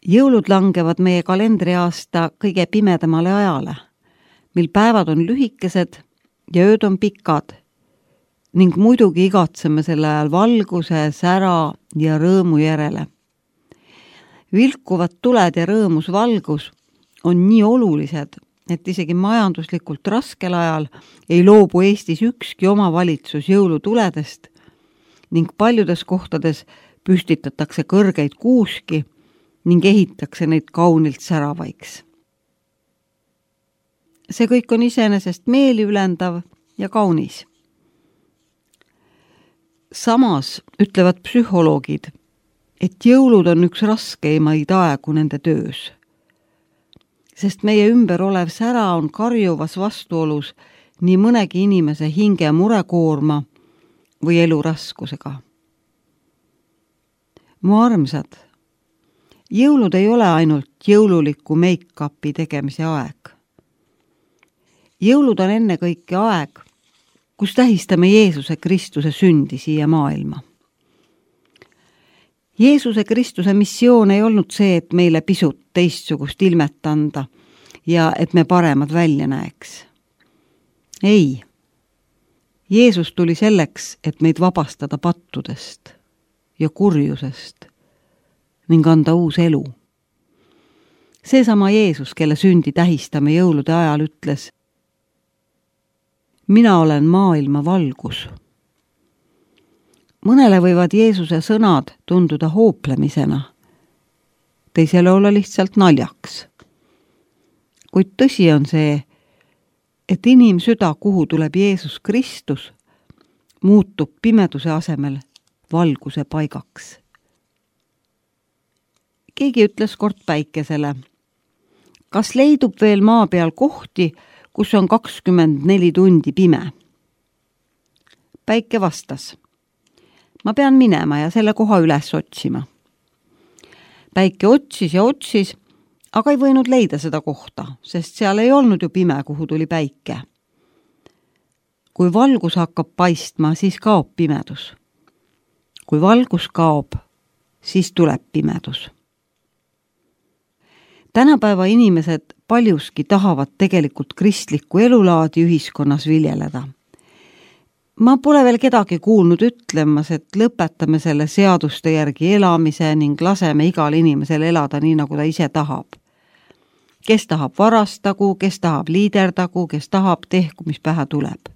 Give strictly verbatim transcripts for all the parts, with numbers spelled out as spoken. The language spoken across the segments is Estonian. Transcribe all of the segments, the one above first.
Jõulud langevad meie kalendriaasta kõige pimedamale ajale, mil päevad on lühikesed ja ööd on pikad ning muidugi igatseme selle ajal valguse, sära ja rõõmu järele. Vilkuvad tuled ja rõõmus valgus on nii olulised, et isegi majanduslikult raskel ajal ei loobu Eestis ükski omavalitsus jõulutuledest ning paljudes kohtades püstitatakse kõrgeid kuuski ning ehitakse neid kaunilt säravaiks. See kõik on iseenesest meeliülendav ja kaunis. Samas ütlevad psühholoogid, et jõulud on üks raskeimaid aegu nende töös, sest meie ümber olev sära on karjuvas vastuolus nii mõnegi inimese hinge murekoorma või elu raskusega. Mu armsad, jõulud ei ole ainult jõululiku make-upi tegemise aeg. Jõulud on ennekõike aeg, kus tähistame Jeesuse Kristuse sündi siia maailma. Jeesuse Kristuse missioon ei olnud see, et meile pisut teistsugust ilmet anda ja et me paremad välja näeks. Ei. Jeesus tuli selleks, et meid vabastada pattudest ja kurjusest ning anda uus elu. Seesama Jeesus, kelle sündi tähistame jõulude ajal, ütles: mina olen maailma valgus. Mõnele võivad Jeesuse sõnad tunduda hooplemisena, teisele olla lihtsalt naljaks. Kuid tõsi on see, et inimsüda, kuhu tuleb Jeesus Kristus, muutub pimeduse asemel valguse paigaks. Keegi ütles kord Päikesele: kas leidub veel maa peal kohti, kus on kakskümmend neli tundi pime? Päike vastas: ma pean minema ja selle koha üles otsima. Päike otsis ja otsis, aga ei võinud leida seda kohta, sest seal ei olnud ju pime, kuhu tuli päike. Kui valgus hakkab paistma, siis kaob pimedus. Kui valgus kaob, siis tuleb pimedus. Tänapäeva inimesed paljuski tahavad tegelikult kristlikku elulaadi ühiskonnas viljeleda. Ma pole veel kedagi kuulnud ütlemas, et lõpetame selle seaduste järgi elamise ning laseme igal inimesel elada nii, nagu ta ise tahab. Kes tahab varastagu, kes tahab liiderdagu, kes tahab tehku, mis pähe tuleb.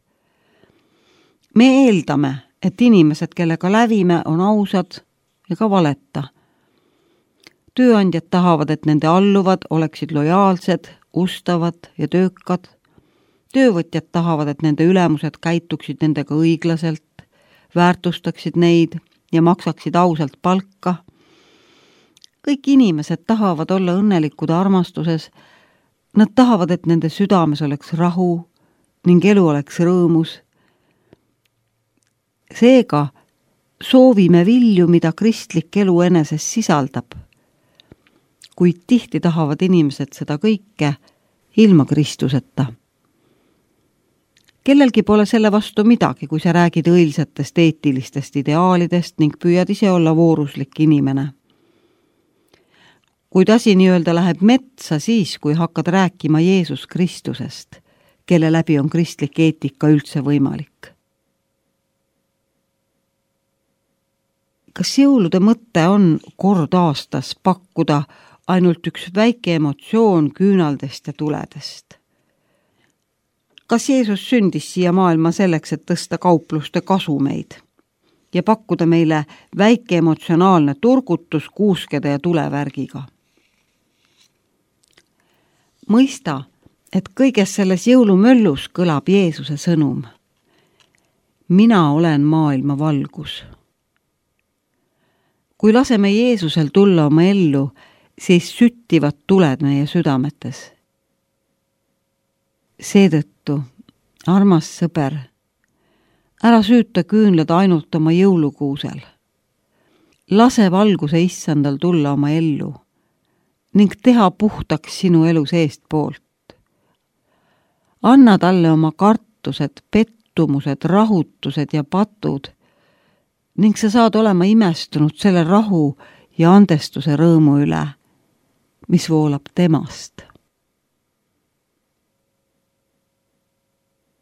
Me eeldame, et inimesed, kellega lävime, on ausad ega valeta. Tööandjad tahavad, et nende alluvad oleksid lojaalsed, ustavad ja töökad. Töövõtjad tahavad, et nende ülemused käituksid nendega õiglaselt, väärtustaksid neid ja maksaksid ausalt palka. Kõik inimesed tahavad olla õnnelikud armastuses. Nad tahavad, et nende südames oleks rahu ning elu oleks rõõmus. Seega soovime vilju, mida kristlik elu eneses sisaldab. Kuid tihti tahavad inimesed seda kõike ilma Kristuseta. Kellelgi pole selle vastu midagi, kui sa räägid õilsatest eetilistest ideaalidest ning püüad ise olla vooruslik inimene. Kuid asi nii-öelda läheb metsa siis, kui hakkad rääkima Jeesus Kristusest, kelle läbi on kristlik eetika üldse võimalik. Kas jõulude mõte on kord aastas pakkuda ainult üks väike emotsioon küünaldest ja tuledest? Kas Jeesus sündis siia maailma selleks, et tõsta kaupluste kasumeid ja pakkuda meile väike emotsionaalne turgutus kuuskede ja tulevärgiga? Mõista, et kõiges selles jõulumöllus kõlab Jeesuse sõnum: mina olen maailma valgus. Kui laseme Jeesusel tulla oma ellu, siis süttivad tuled meie südametes. Seetõttu, armas sõber, ära süüta küünlad ainult oma jõulukuusel. Lase valguse issandal tulla oma ellu ning teha puhtaks sinu elu seest poolt. Anna talle oma kartused, pettumused, rahutused ja patud ning sa saad olema imestunud selle rahu ja andestuse rõõmu üle, mis voolab temast.